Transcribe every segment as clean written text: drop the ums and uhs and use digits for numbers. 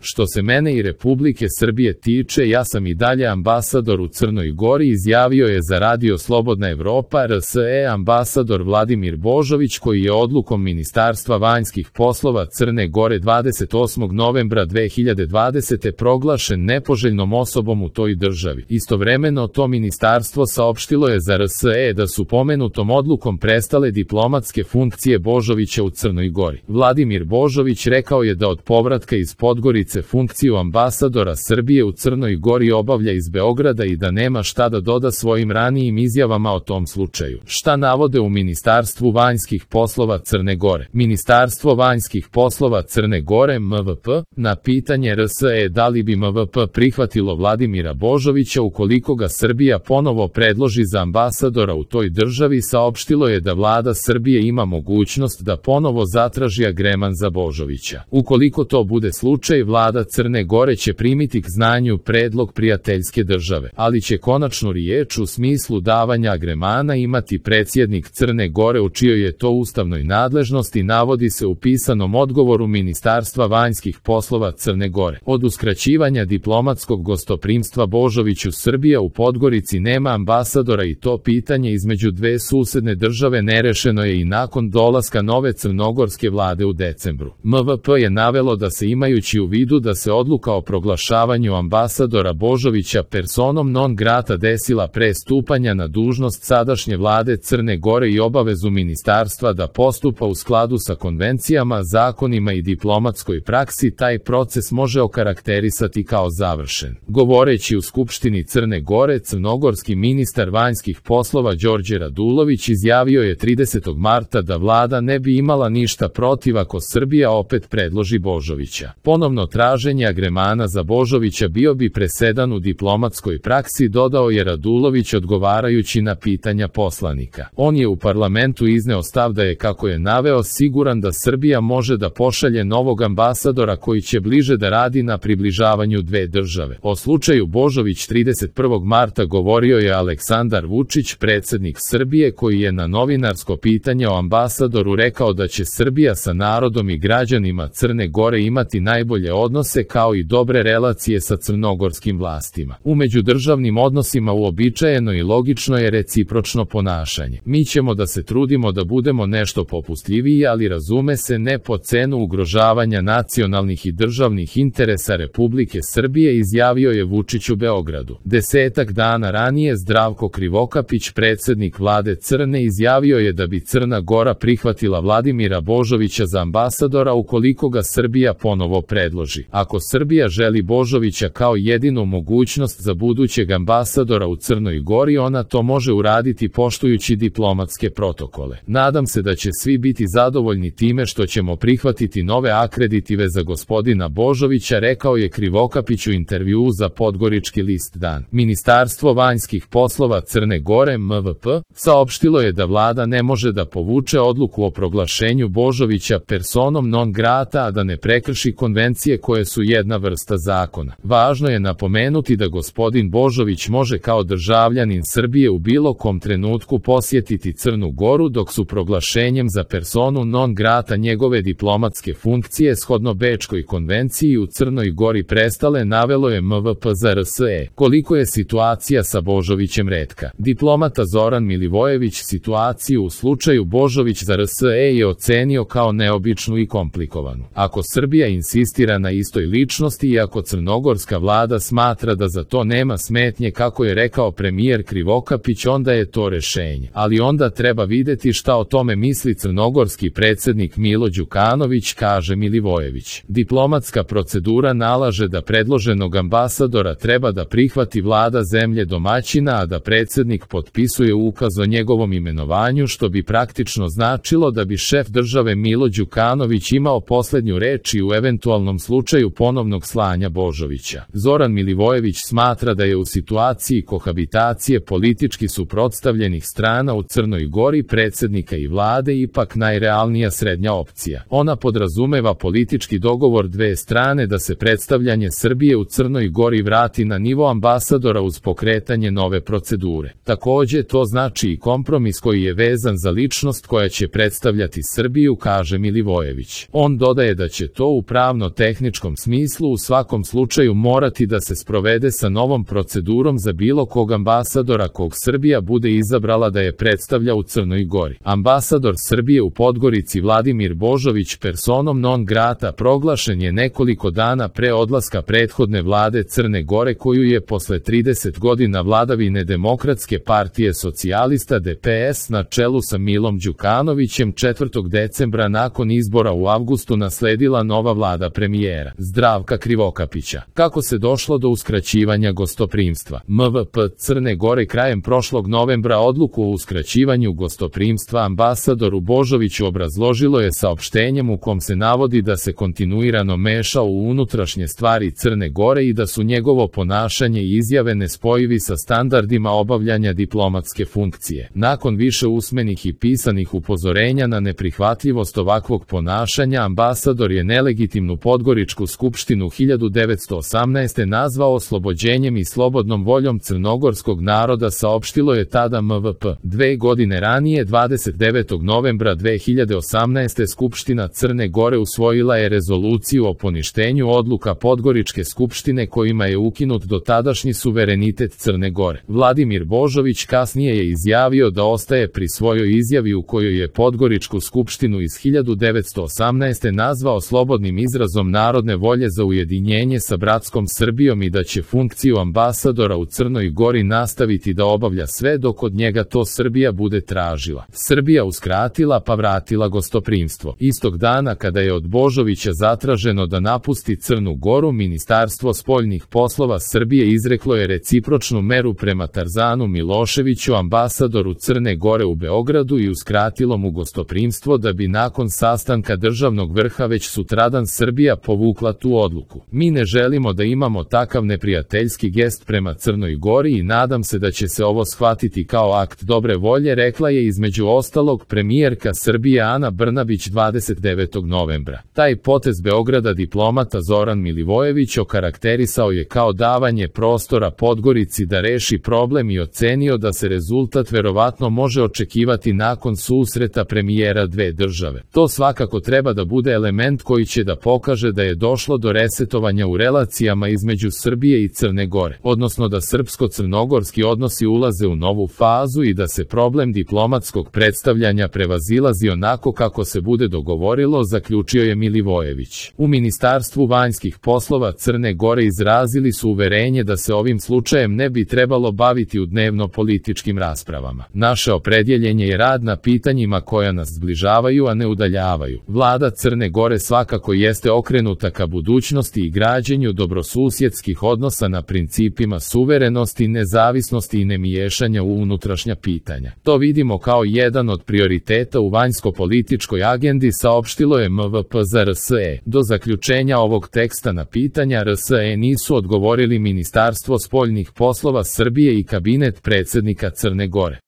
Što se mene i Republike Srbije tiče, ja sam i dalje ambasador u Crnoj Gori, izjavio je za Radio Slobodna Evropa RSE ambasador Vladimir Božović, koji je odlukom Ministarstva vanjskih poslova Crne Gore 28. novembra 2020. proglašen nepoželjnom osobom u toj državi. Istovremeno to ministarstvo saopštilo je za RSE da su pomenutom odlukom prestale diplomatske funkcije Božovića u Crnoj Gori. Vladimir Božović rekao je da od povratka iz Podgorice funkciju ambasadora Srbije u Crnoj Gori obavlja iz Beograda i da nema šta da doda svojim ranijim izjavama o tom slučaju. Šta navode u Ministarstvu vanjskih poslova Crne Gore? Ministarstvo vanjskih poslova Crne Gore MVP na pitanje RSE da li bi MVP prihvatilo Vladimira Božovića ukoliko ga Srbija ponovo predloži za ambasadora u toj državi, saopštilo je da vlada Srbije ima mogućnost da ponovo zatraži agreman za Božovića. Ukoliko to bude slučaj, vlada Crne Gore će primiti k znanju predlog prijateljske države, ali će konačnu riječ u smislu davanja agremana imati predsjednik Crne Gore, u čijoj je to ustavnoj nadležnosti, navodi se u pisanom odgovoru Ministarstva vanjskih poslova Crne Gore. Od uskraćivanja diplomatskog gostoprimstva Božoviću Srbija u Podgorici nema ambasadora i to pitanje između dve susedne države nerešeno je i nakon dolaska nove crnogorske vlade u decembru. MVP je navelo da se, imajući u vidu da se odluka o proglašavanju ambasadora Božovića personom non grata desila pre stupanja na dužnost sadašnje vlade Crne Gore i obavezu ministarstva da postupa u skladu sa konvencijama, zakonima i diplomatskoj praksi, taj proces može okarakterisati kao završen. Govoreći u Skupštini Crne Gore, crnogorski ministar vanjskih poslova Đorđe Radulović izjavio je 30. marta da vlada ne bi imala ništa protiv ako Srbija opet predloži Božovića. Ponovno traženje agremana za Božovića bio bi presedan u diplomatskoj praksi, dodao je Radulović odgovarajući na pitanja poslanika. On je u parlamentu izneo stav da je, kako je naveo, siguran da Srbija može da pošalje novog ambasadora koji će bliže da radi na približavanju dve države. O slučaju Božović 31. marta govorio je Aleksandar Vučić, predsjednik Srbije, koji je na novinarsko pitanje o ambasadoru rekao da će Srbija sa narodom i građanima Crne Gore imati najbolje odnose kao i dobre relacije sa crnogorskim vlastima. U međudržavnim odnosima uobičajeno i logično je recipročno ponašanje. Mi ćemo da se trudimo da budemo nešto popustljiviji, ali razume se, ne po cenu ugrožavanja nacionalnih i državnih interesa Republike Srbije, izjavio je Vučić u Beogradu. 10 dana ranije Zdravko Krivokapić, predsjednik vlade Crne, izjavio je da bi Crna Gora prihvatila Vladimira Božovića za ambasadora ukoliko ga Srbija ponovo predloži. Ako Srbija želi Božovića kao jedinu mogućnost za budućeg ambasadora u Crnoj Gori, ona to može uraditi poštujući diplomatske protokole. Nadam se da će svi biti zadovoljni time što ćemo prihvatiti nove akreditive za gospodina Božovića, rekao je Krivokapić u intervjuu za Podgorički list Dan. Ministarstvo vanjskih poslova Crne Gore MVP saopštilo je da vlada ne može da povuče odluku o proglašenju Božovića personom non grata, a da ne prekrši konvencije koje su jedna vrsta zakona. Važno je napomenuti da gospodin Božović može kao državljanin Srbije u bilo kom trenutku posjetiti Crnu Goru, dok su proglašenjem za personu non grata njegove diplomatske funkcije shodno Bečkoj konvenciji u Crnoj Gori prestale, navelo je MVP za RSE. Koliko je situacija sa Božovićem retka? Diplomata Zoran Milivojević situaciju u slučaju Božović za RSE je ocenio kao neobičnu i komplikovanu. Ako Srbija insistira na istoj ličnosti i ako crnogorska vlada smatra da za to nema smetnje, kako je rekao premijer Krivokapić, onda je to rešenje. Ali onda treba videti šta o tome misli crnogorski predsjednik Milo Đukanović, kaže Milivojević. Diplomatska procedura nalaže da predloženog ambasadora treba da prihvati vlada zemlje domaćina, a da predsjednik potpisuje ukaz o njegovom imenovanju, što bi praktično značilo da bi šef države Milo Đukanović imao poslednju reč i u eventualnom slučaju ponovnog slanja Božovića. Zoran Milivojević smatra da je u situaciji kohabitacije politički suprotstavljenih strana u Crnoj Gori predsjednika i vlade ipak najrealnija srednja opcija. Ona podrazumeva politički dogovor dve strane da se predstavljanje Srbije u Crnoj Gori vrati na nivo ambasadora uz pokretanje nove procedure. Takođe, to znači i kompromis koji je vezan za ličnost koja će predstavljati Srbiju, kaže Milivojević. On dodaje da će to u pravno-tehničkom tehničkom smislu u svakom slučaju morati da se sprovede sa novom procedurom za bilo kog ambasadora kog Srbija bude izabrala da je predstavlja u Crnoj Gori. Ambasador Srbije u Podgorici Vladimir Božović personom non grata proglašen je nekoliko dana pre odlaska prethodne vlade Crne Gore koju je posle 30 godina vladavine Demokratske partije socijalista DPS na čelu sa Milom Đukanovićem 4. decembra nakon izbora u avgustu nasledila nova vlada premijera Zdravka Krivokapića. Kako se došlo do uskraćivanja gostoprimstva? MVP Crne Gore krajem prošlog novembra odluku o uskraćivanju gostoprimstva ambasadoru Božoviću obrazložilo je saopštenjem u kom se navodi da se kontinuirano mešao u unutrašnje stvari Crne Gore i da su njegovo ponašanje i izjave nespojivi sa standardima obavljanja diplomatske funkcije. Nakon više usmenih i pisanih upozorenja na neprihvatljivost ovakvog ponašanja, ambasador je nelegitimnu Podgoričku skupštinu 1918. nazvao oslobođenjem i slobodnom voljom crnogorskog naroda, saopštilo je tada MVP. 2 godine ranije, 29. novembra 2018. Skupština Crne Gore usvojila je rezoluciju o poništenju odluka Podgoričke skupštine kojima je ukinut dotadašnji suverenitet Crne Gore. Vladimir Božović kasnije je izjavio da ostaje pri svojoj izjavi u kojoj je Podgoričku skupštinu iz 1918. nazvao slobodnim izrazom narodne volje za ujedinjenje sa bratskom Srbijom i da će funkciju ambasadora u Crnoj Gori nastaviti da obavlja sve dok od njega to Srbija bude tražila. Srbija uskratila pa vratila gostoprimstvo. Istog dana kada je od Božovića zatraženo da napusti Crnu Goru, Ministarstvo spoljnih poslova Srbije izreklo je recipročnu meru prema Tarzanu Miloševiću, ambasadoru Crne Gore u Beogradu, i uskratilo mu gostoprimstvo da bi nakon sastanka državnog vrha već sutradan Srbija povukla tu odluku. Mi ne želimo da imamo takav neprijateljski gest prema Crnoj Gori i nadam se da će se ovo shvatiti kao akt dobre volje, rekla je između ostalog premijerka Srbije Ana Brnabić 29. novembra. Taj potez Beograda diplomata Zoran Milivojević okarakterisao je kao davanje prostora Podgorici da reši problem i ocenio da se rezultat verovatno može očekivati nakon susreta premijera dve države. To svakako treba da bude element koji će da pokaže da je došlo do resetovanja u relacijama između Srbije i Crne Gore, odnosno da srpsko-crnogorski odnosi ulaze u novu fazu i da se problem diplomatskog predstavljanja prevazilazi onako kako se bude dogovorilo, zaključio je Milivojević. U Ministarstvu vanjskih poslova Crne Gore izrazili su uverenje da se ovim slučajem ne bi trebalo baviti u dnevno-političkim raspravama. Naše opredjeljenje je rad na pitanjima koja nas zbližavaju, a ne udaljavaju. Vlada Crne Gore svakako jeste okrenuta ka budućnosti i građenju dobrosusjedskih odnosa na principima suverenosti, nezavisnosti i nemiješanja u unutrašnja pitanja. To vidimo kao jedan od prioriteta u vanjsko-političkoj agendi, saopštilo je MVP za RSE. Do zaključenja ovog teksta na pitanja RSE nisu odgovorili Ministarstvo spoljnih poslova Srbije i kabinet predsjednika Crne Gore.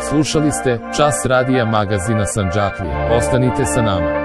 Slušali ste Čas radija magazina Sandžaklija. Ostanite sa nama.